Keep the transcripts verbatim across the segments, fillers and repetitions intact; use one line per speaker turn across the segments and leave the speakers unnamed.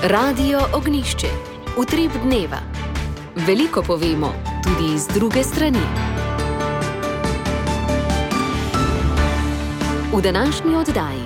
Radio Ognjišče. Utrip dneva. Veliko povemo, tudi iz druge strani. V današnji oddaji.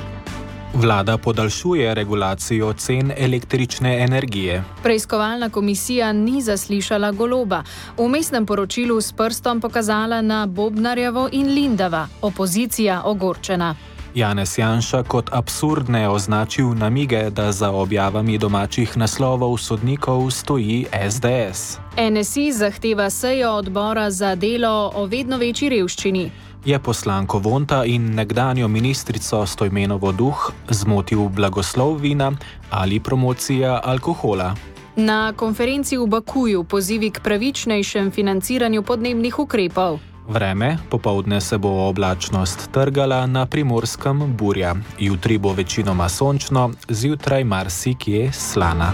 Vlada podaljšuje regulacijo cen električne energije.
Preiskovalna komisija ni zaslišala Goloba. V vmesnem poročilu s prstom pokazala na Bobnarjevo in Lindava. Opozicija ogorčena.
Janez Janša kot absurdne označil namige, da za objavami domačih naslovov sodnikov stoji es de es.
en es i zahteva sejo odbora za delo o vedno večji revščini.
Je poslanko Vonta in nekdanjo ministrico Stojmenovo Duh zmotil blagoslov vina ali promocija alkohola?
Na konferenci v Bakuju pozivi k pravičnejšem financiranju podnebnih ukrepov.
Vreme, popoldne se bo oblačnost trgala, na Primorskem burja. Jutri bo večinoma sončno, zjutraj marsikje slana.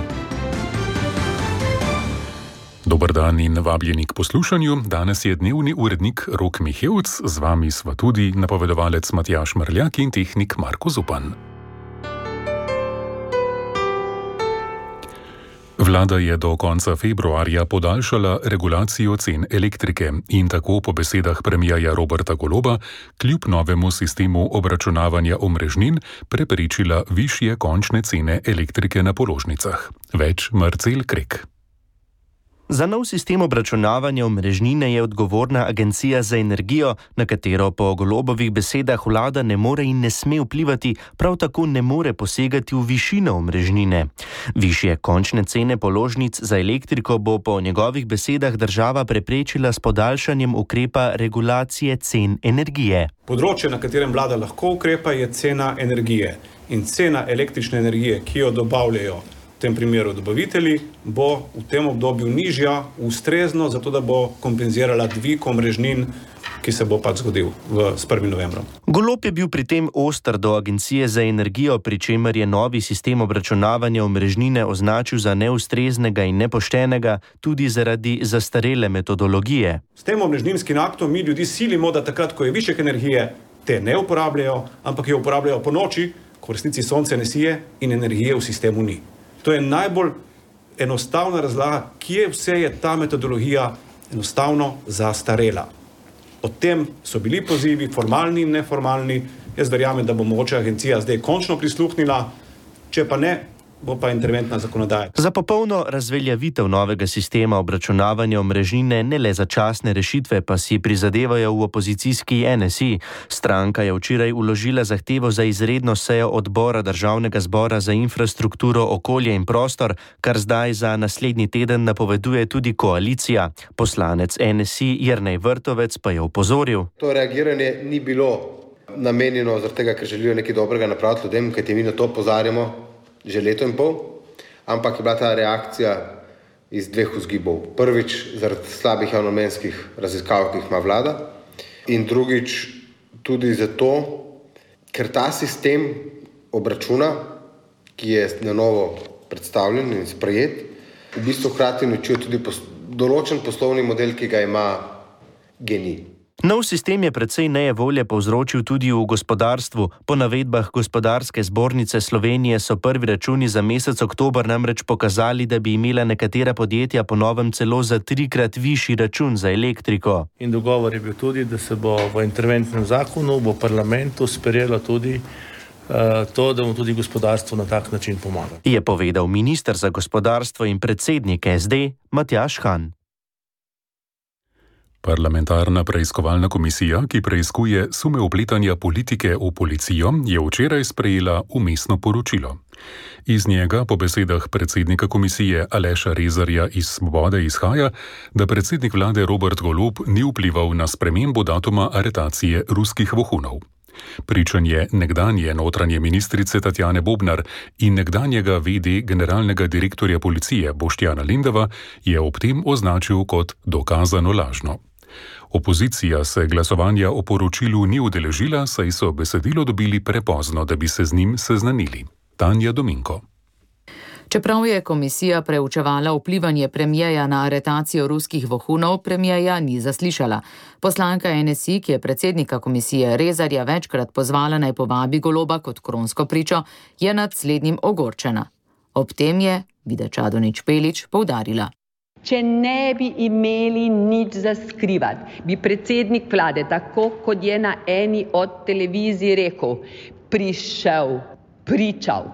Dober dan in vabljeni k poslušanju. Danes je dnevni urednik Rok Mihevc, z vami sva tudi napovedovalec Matjaž Mrljak in tehnik Marko Zupan. Vlada je do konca februarja podaljšala regulacijo cen elektrike in tako po besedah premierja Roberta Goloba kljub novemu sistemu obračunavanja omrežnin preprečila višje končne cene elektrike na položnicah. Več Marcel Krek.
Za nov sistem obračunavanja omrežnine je odgovorna Agencija za energijo, na katero po Golobovih besedah vlada ne more in ne sme vplivati, prav tako ne more posegati v višino omrežnine. Višje končne cene položnic za elektriko bo po njegovih besedah država preprečila s podaljšanjem ukrepa regulacije cen energije.
Področje, na katerem vlada lahko ukrepa, je cena energije. In cena električne energije, ki jo dobavljajo v tem primeru dobavitelji, bo v tem obdobju nižja, ustrezno, zato da bo kompenzirala dvig omrežnin, ki se bo pač zgodil v, s prvim novembrom.
Golob je bil pri tem oster do Agencije za energijo, pri čemer je novi sistem obračunavanja omrežnine označil za neustreznega in nepoštenega tudi zaradi zastarele metodologije.
S tem omrežninskim aktom mi ljudi silimo, da takrat, ko je višek energije, te ne uporabljajo, ampak jo uporabljajo po noči, ko v resnici sonce ne sije in energije v sistemu ni. To je najbolj enostavna razlaga, kje vse je ta metodologija enostavno zastarela. O tem so bili pozivi, formalni in neformalni. Jaz verjamem, da bo mogoče agencija zdaj končno prisluhnila, če pa ne, bo pa interventna zakonodaja.
Za popolno razveljavitev novega sistema obračunavanja omrežnine ne le začasne rešitve pa si prizadevajo v opozicijski en es i. Stranka je včeraj vložila zahtevo za izredno sejo odbora Državnega zbora za infrastrukturo, okolje in prostor, kar zdaj za naslednji teden napoveduje tudi koalicija. Poslanec en es i Jernej Vrtovec pa je opozoril.
To reagiranje ni bilo namenjeno zaradi tega, ker želijo nekaj dobrega napraviti ljudem, kajti mi na to opozarjamo že leto in pol, ampak je bila ta reakcija iz dveh vzgibov. Prvič zaradi slabih javnomnenjskih raziskav, ki jih ima vlada, in drugič tudi zato, ker ta sistem obračuna, ki je na novo predstavljen in sprejet, v bistvu hkrati uničuje tudi pos- določen poslovni model, ki ga ima GEN-I.
Nov sistem je precej nejevolje povzročil tudi v gospodarstvu. Po navedbah Gospodarske zbornice Slovenije so prvi računi za mesec oktober namreč pokazali, da bi imela nekatera podjetja po novem celo za trikrat višji račun za elektriko.
In dogovor je bil tudi, da se bo v interventnem zakonu, v parlamentu sprejelo tudi uh, to, da bomo tudi gospodarstvu na tak način pomagali.
Je povedal minister za gospodarstvo in predsednik es de Matjaž Han.
Parlamentarna preiskovalna komisija, ki preiskuje sume vpletanja politike v policijo, je včeraj sprejela vmesno poročilo. Iz njega po besedah predsednika komisije Aleša Rezarja iz Svobode izhaja, da predsednik vlade Robert Golob ni vplival na spremembo datuma aretacije ruskih vohunov. Pričanje nekdanje notranje ministrice Tatjane Bobnar in nekdanjega ve de generalnega direktorja policije Boštjana Lindava je ob tem označil kot dokazano lažno. Opozicija se glasovanja o poročilu ni udeležila, saj so besedilo dobili prepozno, da bi se z njim seznanili. Tanja Dominko.
Čeprav je komisija preučevala vplivanje premierja na aretacijo ruskih vohunov, premierja ni zaslišala. Poslanka en es i, ki je predsednika komisije Rezarja večkrat pozvala naj povabi Goloba kot kronsko pričo, je nad slednjim ogorčena. Ob tem je Vida Čadonič Špelič poudarila.
Če ne bi imeli nič za skrivati, bi predsednik vlade, tako kot je na eni od televizij rekel, prišel, pričal,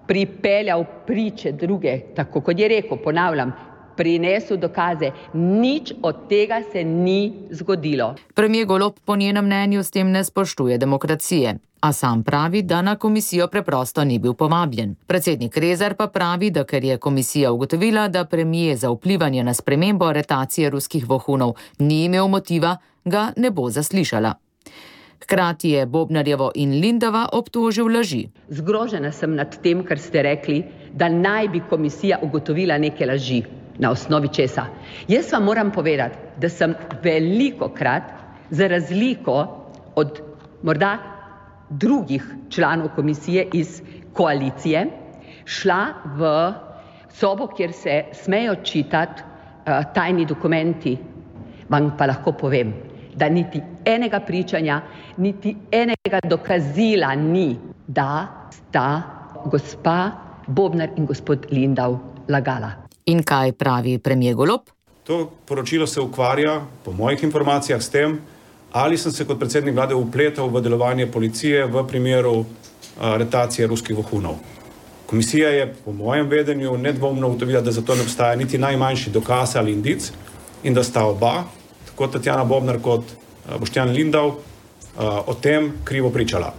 pripeljal priče druge, tako kot je rekel, ponavljam, prinesel dokaze. Nič od tega se ni zgodilo.
Premier Golob po njenem mnenju s tem ne spoštuje demokracije, a sam pravi, da na komisijo preprosto ni bil povabljen. Predsednik Rezar pa pravi, da ker je komisija ugotovila, da premier za vplivanje na spremembo aretacije ruskih vohunov ni imel motiva, ga ne bo zaslišala. Hkrati je Bobnarjevo in Lindava obtožil laži.
Zgrožena sem nad tem, kar ste rekli, da naj bi komisija ugotovila neke laži. Na osnovi česa? Jaz vam moram povedati, da sem velikokrat, za razliko od morda drugih članov komisije iz koalicije, šla v sobo, kjer se smejo čitati uh, tajni dokumenti. Vam pa lahko povem, da niti enega pričanja, niti enega dokazila ni, da sta gospa Bobnar in gospod Lindav lagala.
In kaj pravi premier Golob?
To poročilo se ukvarja, po mojih informacijah, s tem, ali sem se kot predsednik vlade vpletal v delovanje policije v primeru aretacije ruskih vohunov. Komisija je po mojem vedenju nedvomno ugotovila, da za to ne obstaja niti najmanjši dokaz ali indic in da sta oba, tako Tatjana Bobnar kot Boštjan Lindav, o tem krivo pričala.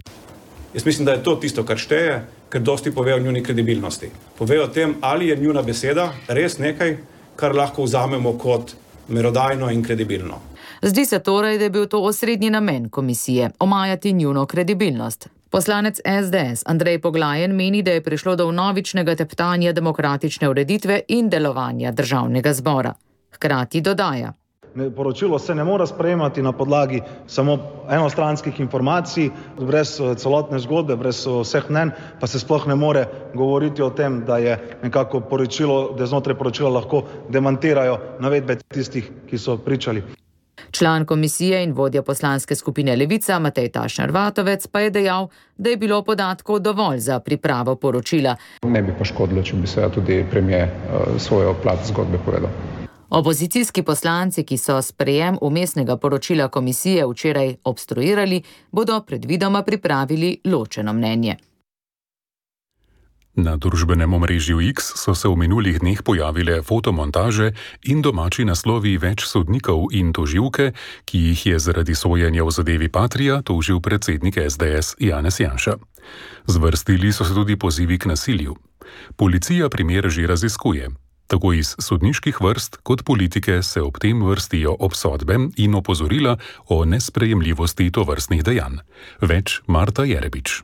Jaz mislim, da je to tisto, kar šteje, ker dosti pove o njuni kredibilnosti. Pove o tem, ali je njuna beseda res nekaj, kar lahko vzamemo kot merodajno in kredibilno.
Zdi se torej, da je bil to osrednji namen komisije, omajati njuno kredibilnost. Poslanec S D S Andrej Poglajen meni, da je prišlo do vnovičnega teptanja demokratične ureditve in delovanja državnega zbora. Hkrati dodaja.
Poročilo se ne more sprejemati na podlagi samo enostranskih informacij, brez celotne zgodbe, brez vseh mnenj, pa se sploh ne more govoriti o tem, da je nekako poročilo, da znotraj poročila lahko demantirajo navedbe tistih, ki so pričali.
Član komisije in vodja poslanske skupine Levica Matej Tašner Vatovec pa je dejal, da je bilo podatkov dovolj za pripravo poročila.
Ne bi pa škodilo, če bi se tudi premier svojo plat zgodbe povedal.
Opozicijski poslanci, ki so sprejem vmesnega poročila komisije včeraj obstruirali, bodo predvidoma pripravili ločeno mnenje.
Na družbenem omrežju X so se v minulih dneh pojavile fotomontaže in domači naslovi več sodnikov in tožilke, ki jih je zaradi sojenja v zadevi Patria tožil predsednik S D S Janez Janša. Zvrstili so se tudi pozivi k nasilju. Policija primer že raziskuje. Tako iz sodniških vrst kot politike se ob tem vrstijo obsodbe in opozorila o nesprejemljivosti tovrstnih dejanj. Več Marta Jerebič.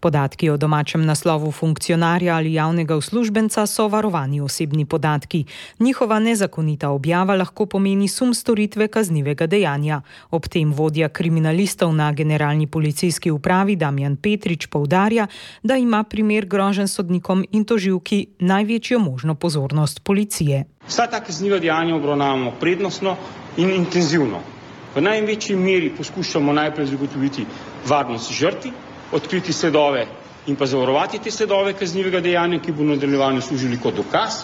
Podatki o domačem naslovu funkcionarja ali javnega uslužbenca so varovani osebni podatki. Njihova nezakonita objava lahko pomeni sum storitve kaznivega dejanja. Ob tem vodja kriminalistov na generalni policijski upravi Damjan Petrič poudarja, da ima primer groženj sodnikom in tožilki največjo možno pozornost policije.
Vsa ta kazniva dejanja obravnavamo prednostno in intenzivno. V največji meri poskušamo najprej zagotoviti varnost žrtvi, odkriti sledove in pa zavarovati te sledove kaznivega dejanja, ki bo v nadaljevanju služili kot dokaz,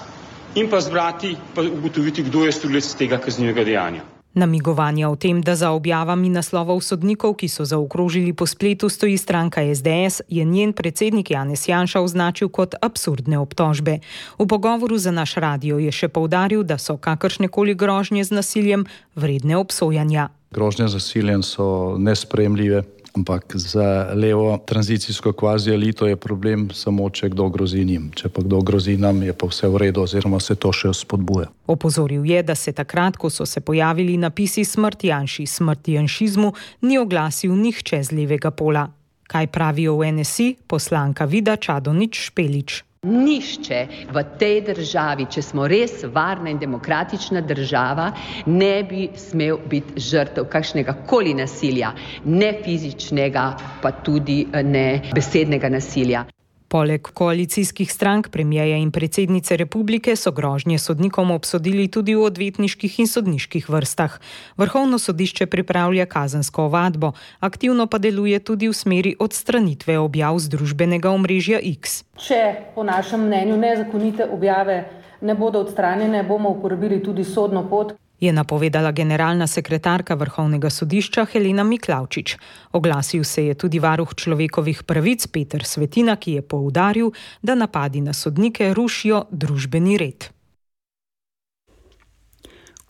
in pa zbrati, pa ugotoviti, kdo je storilec tega kaznivega dejanja.
Namigovanja o tem, da za objavami naslovov sodnikov, ki so zaokrožili po spletu, stoji stranka S D S, je njen predsednik Janez Janša označil kot absurdne obtožbe. V pogovoru za naš radio je še poudaril, da so kakršnekoli grožnje z nasiljem vredne obsojanja.
Grožnje z nasiljem so nesprejemljive. Ampak za levo tranzicijsko kvazi elito je problem samo, če kdo grozi njim. Če pa kdo grozi nam, je pa vse v redu oziroma se to še spodbuja.
Opozoril je, da se takrat, ko so se pojavili napisi smrt Janši, smrt janšizmu, ni oglasil nihče z levega pola. Kaj pravijo v N S I? Poslanka Vida Čadonič Špelič.
Nihče v tej državi, če smo res varna in demokratična država, ne bi smel biti žrtev kakšnega koli nasilja, ne fizičnega, pa tudi ne besednega nasilja.
Poleg koalicijskih strank, premijeja in predsednice republike so grožnje sodnikom obsodili tudi v odvetniških in sodniških vrstah. Vrhovno sodišče pripravlja kazensko ovadbo, aktivno pa deluje tudi v smeri odstranitve objav z družbenega omrežja X.
Če po našem mnenju nezakonite objave ne bodo odstranjene, bomo uporabili tudi sodno pot,
je napovedala generalna sekretarka Vrhovnega sodišča Helena Miklavčič. Oglasil se je tudi varuh človekovih pravic Peter Svetina, ki je poudaril, da napadi na sodnike rušijo družbeni red.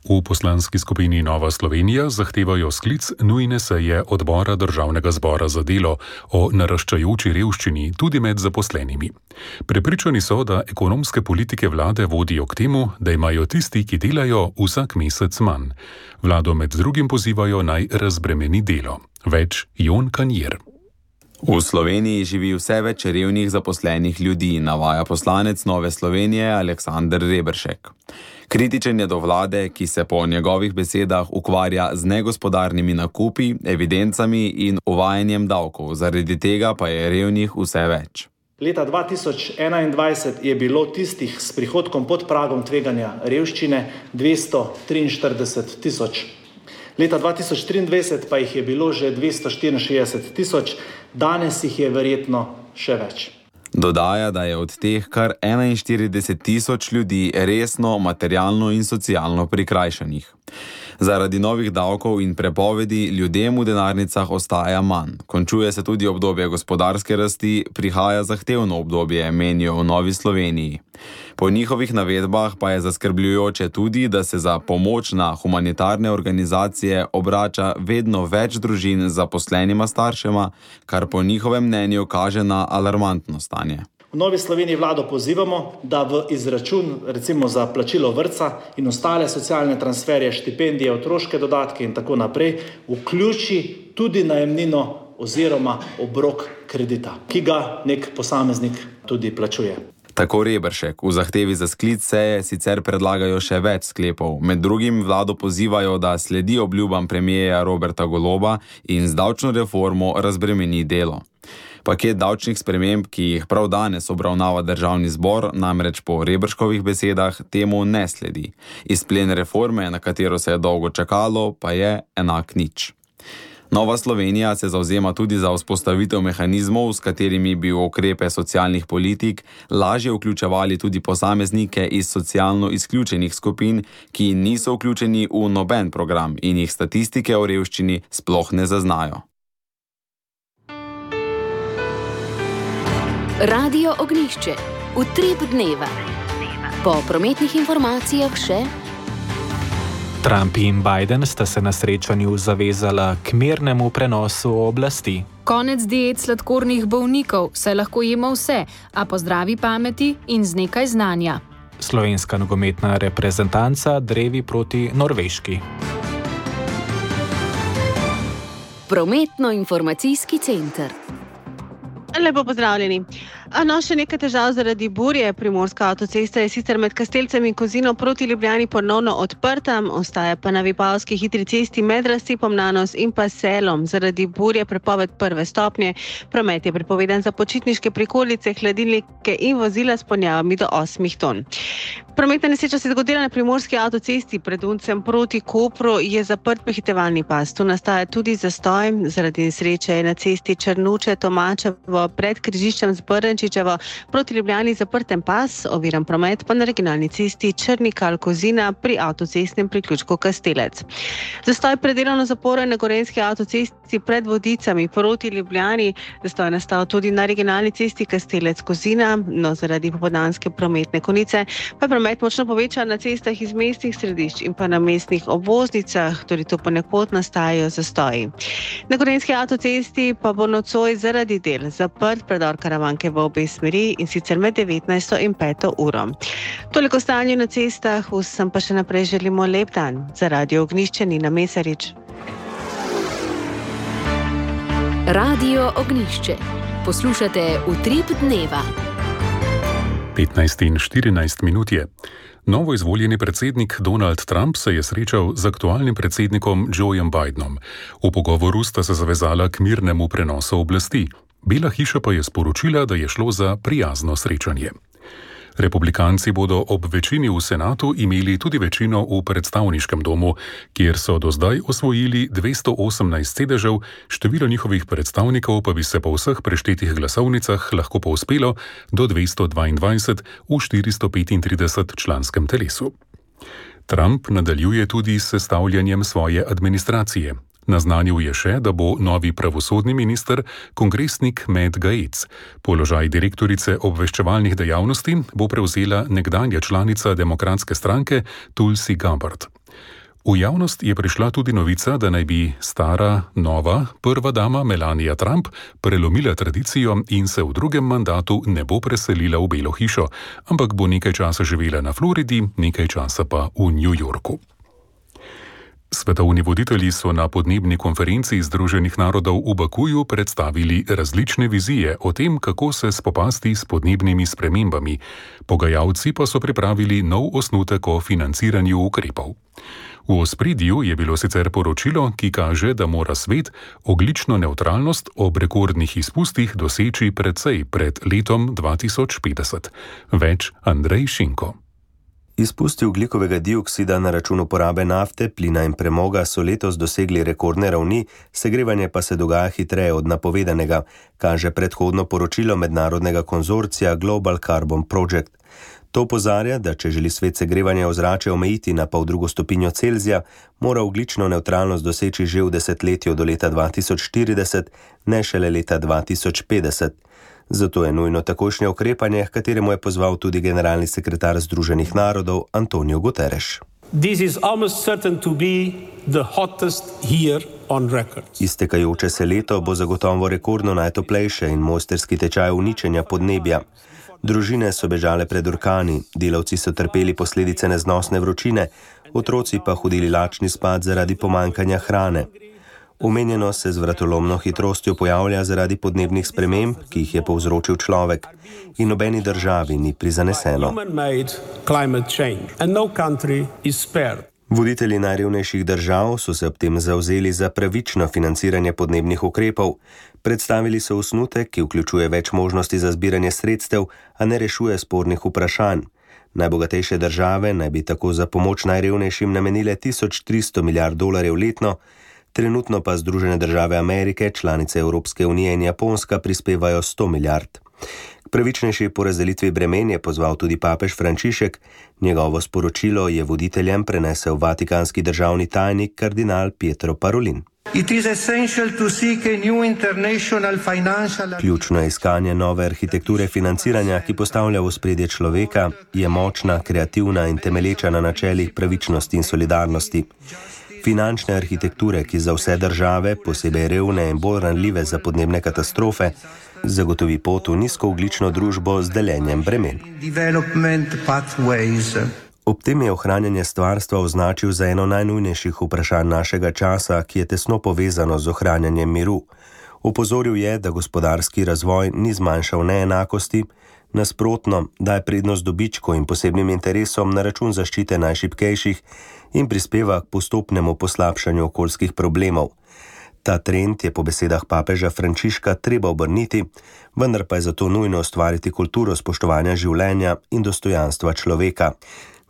V poslanski skupini Nova Slovenija zahtevajo sklic nujne seje odbora Državnega zbora za delo o naraščajoči revščini tudi med zaposlenimi. Prepričani so, da ekonomske politike vlade vodijo k temu, da imajo tisti, ki delajo, vsak mesec manj. Vlado med drugim pozivajo naj razbremeni delo. Več Jon Kanjer.
V Sloveniji živi vse več revnih zaposlenih ljudi, navaja poslanec Nove Slovenije Aleksander Reberšek. Kritičen je do vlade, ki se po njegovih besedah ukvarja z negospodarnimi nakupi, evidencami in uvajanjem davkov, zaradi tega pa je revnih vse več.
Leta dva tisoč enaindvajset je bilo tistih s prihodkom pod pragom tveganja revščine dvesto triinštirideset tisoč. Leta dva tisoč triindvajset pa jih je bilo že dvesto štiriinšestdeset tisoč, danes jih je verjetno še več.
Dodaja, da je od teh kar enainštirideset tisoč ljudi resno, materialno in socialno prikrajšanih. Zaradi novih davkov in prepovedi ljudem v denarnicah ostaja manj. Končuje se tudi obdobje gospodarske rasti, prihaja zahtevno obdobje, menijo v Novi Sloveniji. Po njihovih navedbah pa je zaskrbljujoče tudi, da se za pomoč na humanitarne organizacije obrača vedno več družin z zaposlenima staršema, kar po njihovem mnenju kaže na alarmantno stanje.
V Novi Sloveniji vlado pozivamo, da v izračun recimo za plačilo vrtca in ostale socialne transferje, štipendije, otroške dodatke in tako naprej vključi tudi najemnino oziroma obrok kredita, ki ga nek posameznik tudi plačuje.
Tako Reberšek. V zahtevi za sklic seje sicer predlagajo še več sklepov. Med drugim vlado pozivajo, da sledi obljubam premijeja Roberta Goloba in z davčno reformo razbremeni delo. Paket davčnih sprememb, ki jih prav danes obravnava Državni zbor, namreč po Reberškovih besedah temu ne sledi. Izplen reforme, na katero se je dolgo čakalo, pa je enak nič. Nova Slovenija se zavzema tudi za vzpostavitev mehanizmov, s katerimi bi v ukrepe socialnih politik lažje vključevali tudi posameznike iz socialno izključenih skupin, ki niso vključeni v noben program in jih statistike o revščini sploh ne zaznajo.
Radio Ognjišče. Utrip dneva. Po prometnih informacijah še...
Trump in Biden sta se na srečanju zavezala k mirnemu prenosu oblasti.
Konec diet sladkornih bolnikov, saj lahko jemo vse, a po zdravi pameti in z nekaj znanja.
Slovenska nogometna reprezentanca drevi proti Norveški.
Prometno-informacijski center.
Lepo pozdravljeni. No, še nekaj težav zaradi burje. Primorska avtocesta je sicer med Kastelcem in Kozino proti Ljubljani ponovno odprta, ostaja pa na Vipavski hitri cesti med razcepom Nanos in pa Selom. Zaradi burje prepoved prve stopnje. Promet je prepovedan za počitniške prikolice, hladilnike in vozila s ponjavami do osmih ton. Prometna nesreča se je zgodila na Primorski avtocesti pred Uncem proti Kopru, je zaprt prehitevalni pas. Tu nastaja tudi zastoj. Zaradi nesreče je na cesti Črnuče-Tomačevo pred križiščem z Brnčičevo proti Ljubljani zaprten pas, oviran promet pa na regionalni cesti Črnikal-Kozina pri avtocestnem priključku Kastelec. Zastoj pred delovno zaporo na Gorenjski avtocesti pred Vodicami proti Ljubljani. Zastoj je nastal tudi na regionalni cesti Kastelec-Kozina, no zaradi popoldanske prometne konice pa je promet močno povečan na cestah iz mestnih središč in pa na mestnih obvoznicah, tudi tu ponekod nastajajo zastoji. Na Gorenjski avtocesti pa bo nocoj zaradi del zaprt predor Karavanke v obe smeri in sicer med devetnajsto in peto uro. Toliko stanju na cestah, vsem pa še naprej želimo lep dan. Za Radio Ognjišče Nina Mesarič.
Radio Ognjišče. Poslušate Utrip dneva.
petnajst in štirinajst minut je. Novo izvoljeni predsednik Donald Trump se je srečal z aktualnim predsednikom Joejem Bidenom. V pogovoru sta se zavezala k mirnemu prenosu oblasti. Bela hiša pa je sporočila, da je šlo za prijazno srečanje. Republikanci bodo ob večini v senatu imeli tudi večino v predstavniškem domu, kjer so do zdaj osvojili dvesto osemnajst sedežev, število njihovih predstavnikov pa bi se po vseh preštetih glasovnicah lahko povzpelo do dvesto dvaindvajset v štiristo petintrideset članskem telesu. Trump nadaljuje tudi s sestavljanjem svoje administracije. Naznanil je še, da bo novi pravosodni minister kongresnik Matt Gaetz. Položaj direktorice obveščevalnih dejavnosti bo prevzela nekdanja članica demokratske stranke Tulsi Gabbard. V javnost je prišla tudi novica, da naj bi stara, nova, prva dama Melania Trump prelomila tradicijo in se v drugem mandatu ne bo preselila v Belo hišo, ampak bo nekaj časa živela na Floridi, nekaj časa pa v New Yorku. Svetovni voditelji so na podnebni konferenci Združenih narodov v Bakuju predstavili različne vizije o tem, kako se spopasti s podnebnimi spremembami. Pogajalci pa so pripravili nov osnutek o financiranju ukrepov. V ospredju je bilo sicer poročilo, ki kaže, da mora svet ogljično nevtralnost ob rekordnih izpustih doseči precej pred letom dva tisoč petdeset. Več Andrej Šinko.
Izpusti ogljikovega dioksida na račun uporabe nafte, plina in premoga so letos dosegli rekordne ravni, segrevanje pa se dogaja hitreje od napovedanega, kaže predhodno poročilo mednarodnega konzorcija Global Carbon Project. To opozarja, da če želi svet segrevanja ozračja omejiti na pol drugo stopinjo Celzija, mora ogljično nevtralnost doseči že v desetletju do leta dva tisoč štirideset, ne šele leta dva tisoč petdeset. Zato je nujno takojšnje ukrepanje, h kateremu je pozval tudi generalni sekretar Združenih narodov Antonio Guterres. Iztekajoče se leto bo zagotovo rekordno najtoplejše in mojsterski tečaj uničenja podnebja. Družine so bežale pred orkani, delavci so trpeli posledice neznosne vročine, otroci pa hodili lačni spat zaradi pomankanja hrane. Omenjeno se z vratolomno hitrostjo pojavlja zaradi podnebnih sprememb, ki jih je povzročil človek, in nobeni državi ni prizaneseno. Voditelji najrevnejših držav so se ob tem zavzeli za pravično financiranje podnebnih ukrepov. Predstavili so osnutek, ki vključuje več možnosti za zbiranje sredstev, a ne rešuje spornih vprašanj. Najbogatejše države naj bi tako za pomoč najrevnejšim namenile tisoč tristo milijard dolarjev letno, trenutno pa Združene države Amerike, članice Evropske unije in Japonska prispevajo sto milijard. K pravičnejši porazdelitvi bremen je pozval tudi papež Frančišek. Njegovo sporočilo je voditeljem prenesel vatikanski državni tajnik kardinal Pietro Parolin. Ključno je iskanje nove arhitekture financiranja, ki postavlja v ospredje človeka, je močna, kreativna in temelječa na načelih pravičnosti in solidarnosti. Finančne arhitekture, ki za vse države, posebej revne in bolj ranljive za podnebne katastrofe, zagotovi pot v nizkoogljično družbo z deljenjem bremen. Ob tem je ohranjanje stvarstva označil za eno najnujnejših vprašanj našega časa, ki je tesno povezano z ohranjanjem miru. Opozoril je, da gospodarski razvoj ni zmanjšal neenakosti, nasprotno, daje prednost dobičku in posebnim interesom na račun zaščite najšibkejših in prispeva k postopnemu poslabšanju okoljskih problemov. Ta trend je po besedah papeža Frančiška treba obrniti, vendar pa je zato nujno ustvariti kulturo spoštovanja življenja in dostojanstva človeka.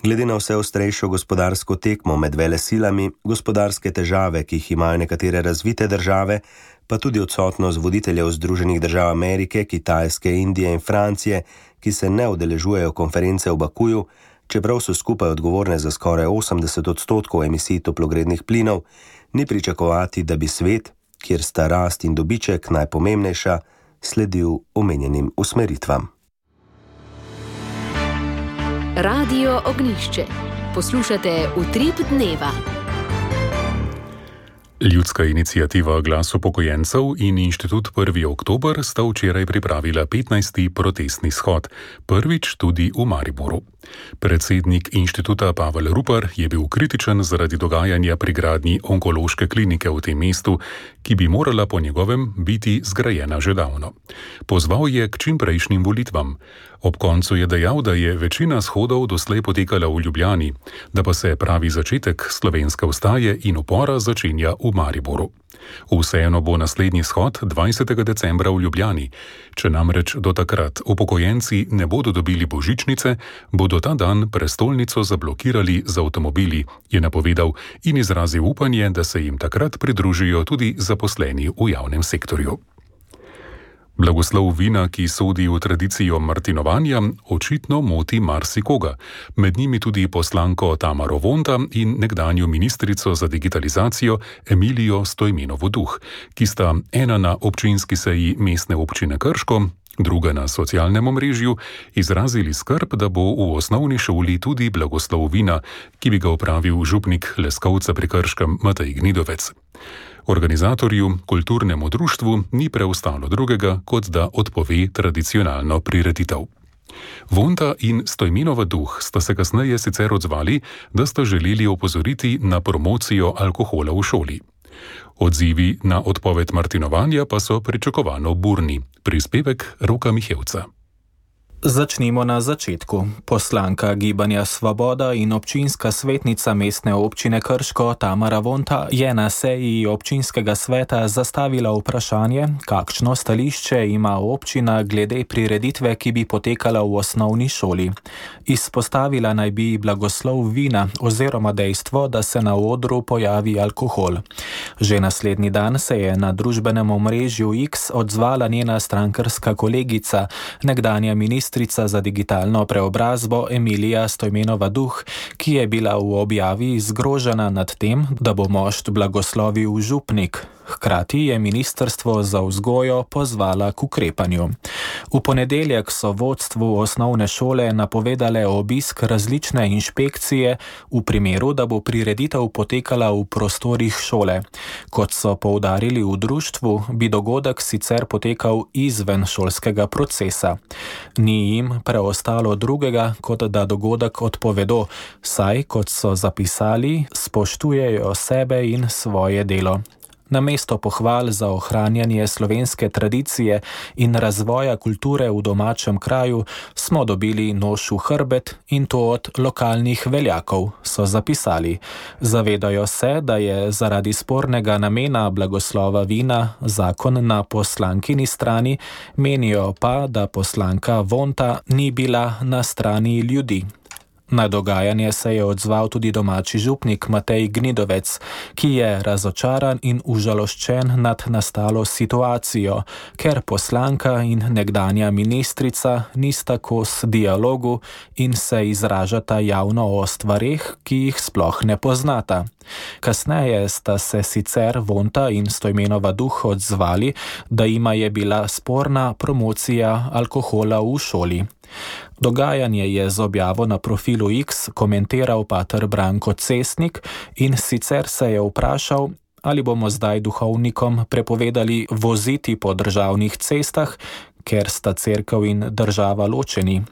Glede na vse ostrejšo gospodarsko tekmo med velesilami, gospodarske težave, ki jih imajo nekatere razvite države, pa tudi odsotnost voditeljev Združenih držav Amerike, Kitajske, Indije in Francije, ki se ne udeležujejo konference v Bakuju, čeprav so skupaj odgovorne za skoraj osemdeset odstotkov emisij toplogrednih plinov, ni pričakovati, da bi svet, kjer sta rast in dobiček najpomembnejša, sledil omenjenim usmeritvam.
Radio Ognjišče. Poslušate Utrip dneva.
Ljudska iniciativa Glas upokojencev in Inštitut prvi oktober sta včeraj pripravila petnajsti protestni shod, prvič tudi v Mariboru. Predsednik inštituta Pavel Rupar je bil kritičen zaradi dogajanja pri gradnji onkološke klinike v tem mestu, ki bi morala po njegovem biti zgrajena že davno. Pozval je k čimprejšnjim volitvam. Ob koncu je dejal, da je večina shodov doslej potekala v Ljubljani, da pa se pravi začetek slovenske vstaje in upora začenja v Mariboru. Vseeno bo naslednji shod dvajsetega decembra v Ljubljani. Če namreč do takrat upokojenci ne bodo dobili božičnice, bodo ta dan prestolnico zablokirali z avtomobili, je napovedal in izrazil upanje, da se jim takrat pridružijo tudi zaposleni v javnem sektorju. Blagoslov vina, ki sodi v tradicijo martinovanja, očitno moti marsikoga, med njimi tudi poslanko Tamaro Vonta in nekdanjo ministrico za digitalizacijo Emilijo Stojmenovo Duh, ki sta ena na občinski seji mestne občine Krško, druga na socialnem omrežju, izrazili skrb, da bo v osnovni šoli tudi blagoslov vina, ki bi ga opravil župnik Leskovca pri Krškem Matej Gnidovec. Organizatorju, kulturnemu društvu, ni preostalo drugega, kot da odpove tradicionalno prireditev. Vonta in Stojmenova Duh sta se kasneje sicer odzvali, da sta želeli opozoriti na promocijo alkohola v šoli. Odzivi na odpoved martinovanja pa so pričakovano burni. Prispevek Roka Mihevca.
Začnimo na začetku. Poslanka Gibanja Svoboda in občinska svetnica mestne občine Krško Tamara Vonta je na seji občinskega sveta zastavila vprašanje, kakšno stališče ima občina glede prireditve, ki bi potekala v osnovni šoli. Izpostavila naj bi blagoslov vina oziroma dejstvo, da se na odru pojavi alkohol. Že naslednji dan se je na družbenem omrežju X odzvala njena strankarska kolegica, nekdanja ministrica za digitalno preobrazbo Emilija Stojmenova Duh, ki je bila v objavi zgrožena nad tem, da bo mošt blagoslovil župnik. Hkrati je ministrstvo za vzgojo pozvala k ukrepanju. V ponedeljek so vodstvu osnovne šole napovedale obisk različne inšpekcije v primeru, da bo prireditev potekala v prostorih šole. Kot so poudarili v društvu, bi dogodek sicer potekal izven šolskega procesa. Ni jim preostalo drugega, kot da dogodek odpovedo, saj, kot so zapisali, spoštujejo sebe in svoje delo. Namesto pohval za ohranjanje slovenske tradicije in razvoja kulture v domačem kraju smo dobili nož v hrbet in to od lokalnih veljakov, so zapisali. Zavedajo se, da je zaradi spornega namena blagoslova vina zakon na poslankini strani, menijo pa, da poslanka Vonta ni bila na strani ljudi. Na dogajanje se je odzval tudi domači župnik Matej Gnidovec, ki je razočaran in užaloščen nad nastalo situacijo, ker poslanka in nekdanja ministrica nista kos dialogu in se izražata javno o stvareh, ki jih sploh ne poznata. Kasneje sta se sicer Vonta in Stojmenova Duh odzvali, da jima je bila sporna promocija alkohola v šoli. Dogajanje je z objavo na profilu X komentiral pater Branko Cestnik in sicer se je vprašal, ali bomo zdaj duhovnikom prepovedali voziti po državnih cestah, ker sta cerkev in država ločeni.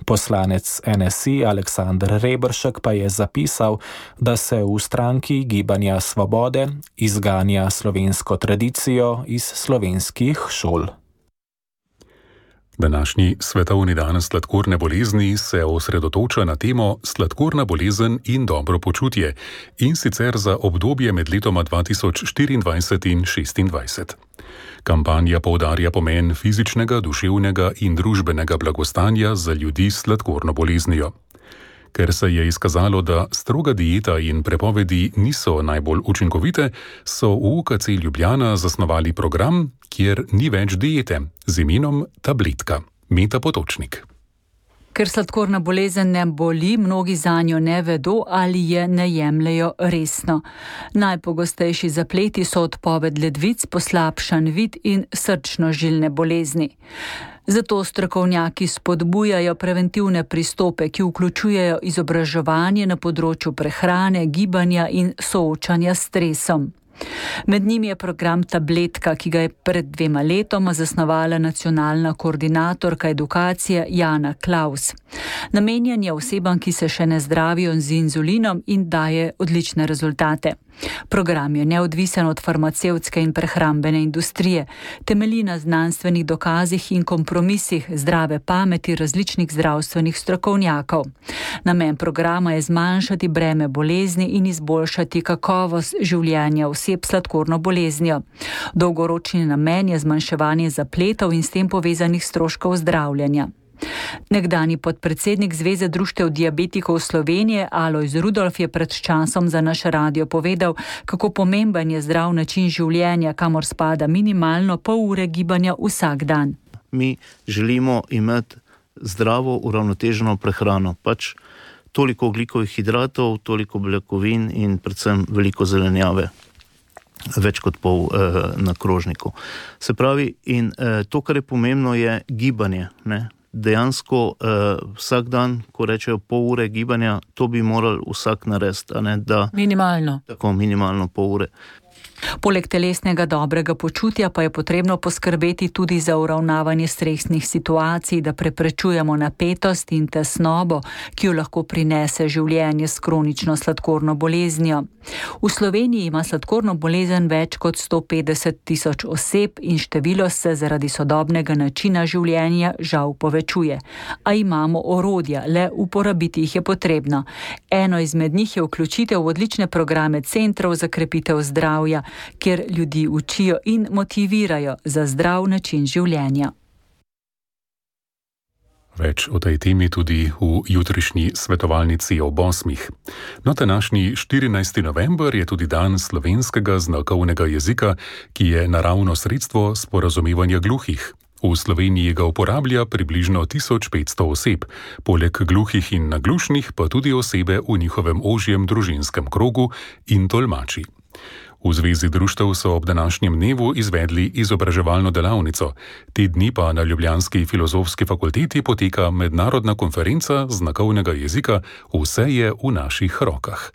Poslanec N S I Aleksander Reberšek pa je zapisal, da se v stranki Gibanja Svobode izganja slovensko tradicijo iz slovenskih šol.
Današnji svetovni dan sladkorne bolezni se osredotoča na temo sladkorna bolezen in dobro počutje, in sicer za obdobje med letoma dva tisoč štiriindvajset in šestindvajset. Kampanja poudarja pomen fizičnega, duševnega in družbenega blagostanja za ljudi s sladkorno boleznijo. Ker se je izkazalo, da stroga dieta in prepovedi niso najbolj učinkovite, so v U K C Ljubljana zasnovali program, kjer ni več diete, z imenom Tabletka. Meta Potočnik.
Ker sladkorna bolezen ne boli, mnogi zanjo ne vedo ali je ne jemljejo resno. Najpogostejši zapleti so odpoved ledvic, poslabšan vid in srčno-žilne bolezni. Zato strokovnjaki spodbujajo preventivne pristope, ki vključujejo izobraževanje na področju prehrane, gibanja in soočanja s stresom. Med njimi je program Tabletka, ki ga je pred dvema letoma zasnovala nacionalna koordinatorka edukacije Jana Klaus. Namenjen je osebam, ki se še ne zdravijo z inzulinom in daje odlične rezultate. Program je neodvisen od farmacevtske in prehrambene industrije, temelji na znanstvenih dokazih in kompromisih zdrave pameti različnih zdravstvenih strokovnjakov. Namen programa je zmanjšati breme bolezni in izboljšati kakovost življenja oseb s sladkorno boleznijo. Dolgoročni namen je zmanjševanje zapletov in s tem povezanih stroškov zdravljenja. Nekdani podpredsednik Zveze društev diabetikov Slovenije Alojz Rudolf je pred časom za naš radio povedal, kako pomemben je zdrav način življenja, kamor spada minimalno pol ure gibanja vsak dan.
Mi želimo imeti zdravo, uravnoteženo prehrano, pač toliko ogljikovih hidratov, toliko beljakovin in predvsem veliko zelenjave. Več kot pol eh, na krožniku. Se pravi, in eh, to, kar je pomembno, je gibanje, ne? Dejansko uh, vsak dan, ko rečejo pol ure gibanja, to bi morali vsak narediti, a ne da...
Minimalno.
Tako, minimalno pol ure.
Poleg telesnega dobrega počutja pa je potrebno poskrbeti tudi za uravnavanje stresnih situacij, da preprečujemo napetost in tesnobo, ki jo lahko prinese življenje s kronično sladkorno boleznijo. V Sloveniji ima sladkorno bolezen več kot sto petdeset tisoč oseb in število se zaradi sodobnega načina življenja žal povečuje. A imamo orodja, le uporabiti jih je potrebno. Eno izmed njih je vključitev v odlične programe centrov za krepitev zdravja, kjer ljudi učijo in motivirajo za zdrav način življenja.
Več o tej temi tudi v jutrišnji svetovalnici ob osmih. No, današnji štirinajsti november je tudi dan slovenskega znakovnega jezika, ki je naravno sredstvo sporazumevanja gluhih. V Sloveniji ga uporablja približno tisoč petsto oseb, poleg gluhih in naglušnih pa tudi osebe v njihovem ožjem družinskem krogu in tolmači. V Zvezi društev so ob današnjem dnevu izvedli izobraževalno delavnico. Te dni pa na ljubljanski filozofski fakulteti poteka mednarodna konferenca znakovnega jezika Vse je v naših rokah.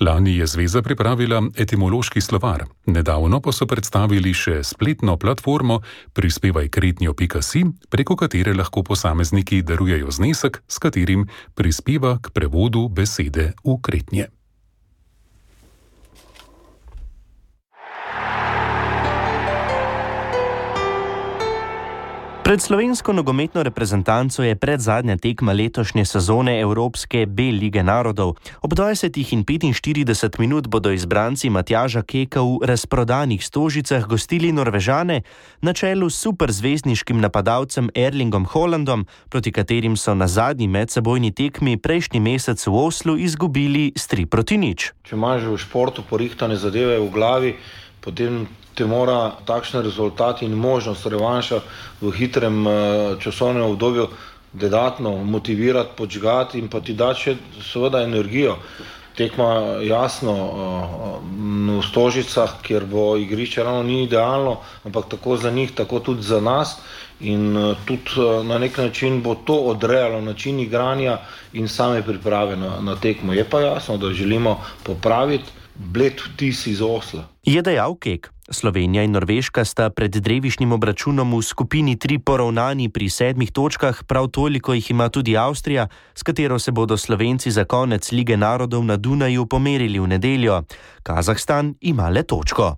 Lani je Zveza pripravila etimološki slovar, nedavno pa so predstavili še spletno platformo prispevaj kretnjo pika si, preko katere lahko posamezniki darujejo znesek, s katerim prispeva k prevodu besede v kretnje.
Pred slovensko nogometno reprezentanco je predzadnja tekma letošnje sezone Evropske B lige narodov. Ob dvajsetih in petinštirideset minut bodo izbranci Matjaža Keka v razprodanih Stožicah gostili Norvežane na čelu s superzvezdniškim napadalcem Erlingom Haalandom, proti katerim so na zadnji medsebojni tekmi prejšnji mesec v Oslu izgubili s tri proti nič.
Če imaš v športu porihtane zadeve v glavi, potem te mora takšen rezultat in možnost revanša v hitrem časovnem obdobju dodatno motivirati, podžgati in pa ti dati še seveda energijo. Tekma jasno v Stožicah, kjer bo igrišče ravno ni idealno, ampak tako za njih, tako tudi za nas in tudi na nek način bo to odrejalo način igranja in same priprave na, na tekmo. Je pa jasno, da želimo popraviti bled vtis iz Osla.
Je dejal Kek. Slovenija in Norveška sta pred drevišnjim obračunom v skupini tri poravnani pri sedmih točkah, prav toliko jih ima tudi Avstrija, s katero se bodo Slovenci za konec Lige narodov na Dunaju pomerili v nedeljo. Kazahstan ima le točko.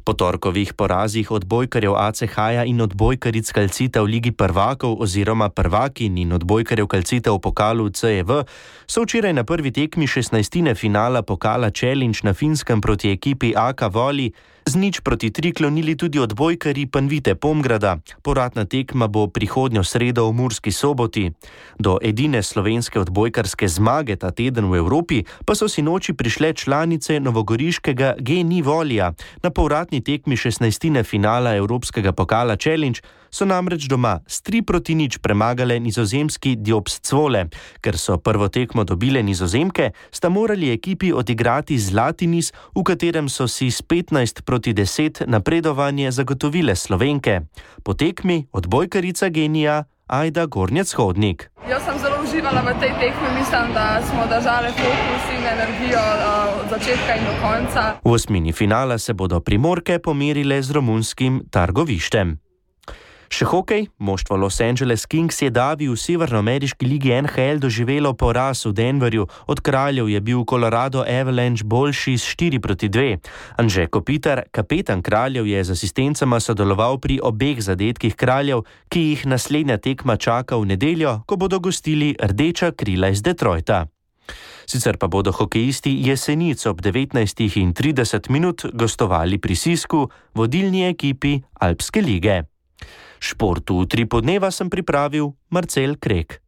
Po torkovih porazih odbojkarjev A C H-ja in odbojkaric Calcita v Ligi prvakov oziroma prvakin in odbojkarjev Calcita v pokalu C E V so včeraj na prvi tekmi šestnajstine finala pokala Challenge na Finskem proti ekipi A K Voli z nič proti tri klonili tudi odbojkarji Panvite Pomgrada. Povratna tekma bo prihodnjo sredo v Murski Soboti. Do edine slovenske odbojkarske zmage ta teden v Evropi pa so sinoči prišle članice novogoriškega G N I Volija. Na povratni tekmi šestnajstine finala Evropskega pokala Challenge so namreč doma s tri proti nič premagale nizozemski Diopst Zwolle. Ker so prvo tekmo dobile Nizozemke, sta morali ekipi odigrati zlati niz, v katerem so si s petnajst proti deset napredovanje zagotovile Slovenke. Po tekmi odbojkarica genija Ajda Gornjec-Hodnik.
Jaz sem zelo uživala v tej tekmi, mislim, da smo držali fokus in energijo od začetka in do konca.
V osmini finala se bodo Primorke pomerile z romunskim Targovištem. Še hokej, moštvo Los Angeles Kings je davi v severnoameriški ligi N H L doživelo poraz v Denverju. Od Kraljev je bil Colorado Avalanche boljši s štiri proti dve. Anže Kopitar, kapetan Kraljev, je z asistencama sodeloval pri obeh zadetkih Kraljev, ki jih naslednja tekma čaka v nedeljo, ko bodo gostili Rdeča krila iz Detroita. Sicer pa bodo hokejisti Jesenic ob devetnajstih in trideset minut gostovali pri Sisku, vodilni ekipi Alpske lige. Športu v tri podneva sem pripravil Marcel Krek.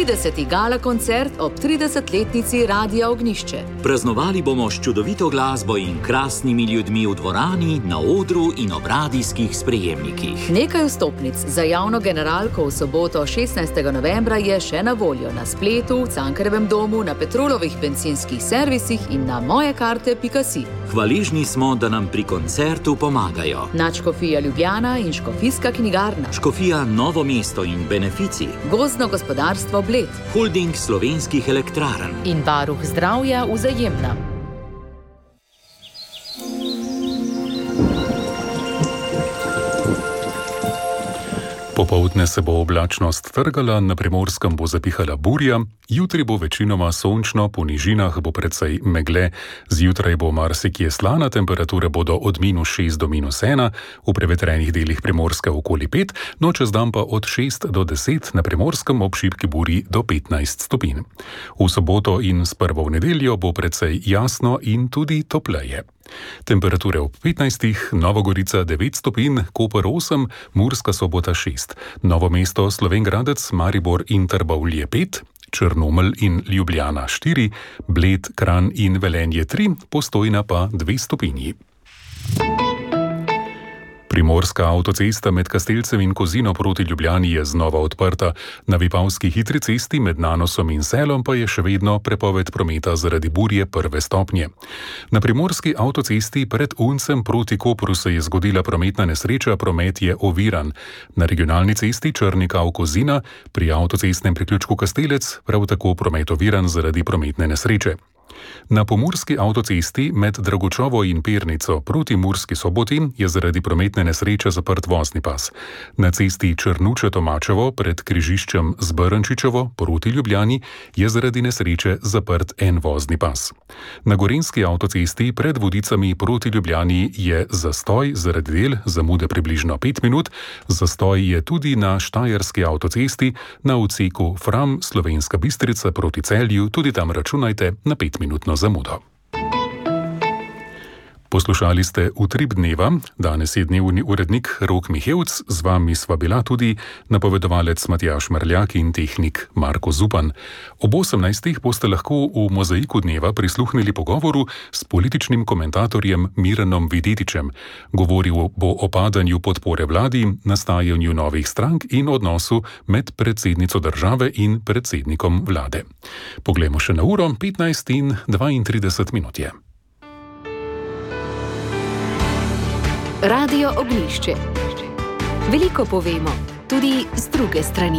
trideseti gala koncert ob tridesetletnici Radia Ognjišče.
Praznovali bomo s čudovito glasbo in krasnimi ljudmi v dvorani, na odru in ob radijskih sprejemnikih.
Nekaj vstopnic za javno generalko v soboto šestnajstega novembra je še na voljo na spletu, v Cankarjevem domu, na Petrolovih bencinskih servisih in na mojekarte pika si.
Hvaležni smo, da nam pri koncertu pomagajo
Nadškofija Ljubljana in Škofijska knjigarna,
Škofija Novo mesto in Benefici,
Gozdno gospodarstvo Bled,
Holding slovenskih elektrarn
in varuh zdravja Vzajemna.
Popoldne se bo oblačnost trgala, na Primorskem bo zapihala burja, jutri bo večinoma sončno, po nižinah bo precej megle, zjutraj bo marsikje slana, temperature bodo od minus šest do minus ena, v prevetrenih delih Primorska okoli pet, no čez dan pa od šest do deset, na Primorskem ob šibki burji do petnajst stopinj. V soboto in s prvo v nedeljo bo precej jasno in tudi topleje. Temperature ob petnajstih, Nova Gorica devet stopinj, Koper osem, Murska Sobota šest, Novo mesto, Slovenj Gradec, Maribor in Trbovlje pet, Črnomelj in Ljubljana štiri, Bled, Kranj in Velenje tri, Postojna pa dve stopinji. Primorska avtocesta med Kastelcem in Kozino proti Ljubljani je znova odprta. Na Vipavski hitri cesti med Nanosom in Selom pa je še vedno prepoved prometa zaradi burje prve stopnje. Na Primorski avtocesti pred Uncem proti Kopru se je zgodila prometna nesreča, promet je oviran. Na regionalni cesti Črnikav-Kozina pri avtocestnem priključku Kastelec prav tako promet oviran zaradi prometne nesreče. Na pomurski avtocesti med Dragočovo in Pernico proti Murski Soboti je zaradi prometne nesreče zaprt vozni pas. Na cesti Črnuče-Tomačevo pred križiščem z Brnčičevo proti Ljubljani je zaradi nesreče zaprt en vozni pas. Na Gorenjski avtocesti pred Vodicami proti Ljubljani je zastoj zaradi del, zamude približno pet minut, zastoj je tudi na Štajerski avtocesti na odseku Fram Slovenska Bistrica proti Celju, tudi tam računajte na pet minutno zamudo. Poslušali ste Utrip dneva, danes je dnevni urednik Rok Mihevc, z vami sva bila tudi napovedovalec Matjaž Merljak in tehnik Marko Zupan. Ob osemnajstih boste lahko v Mozaiku dneva prisluhnili pogovoru s političnim komentatorjem Miranom Videtičem. Govoril bo o padanju podpore vladi, nastajanju novih strank in odnosu med predsednico države in predsednikom vlade. Poglejmo še na uro, petnajst in dvaintrideset minut je.
Radio Ognjišče. Veliko povemo, tudi z druge strani.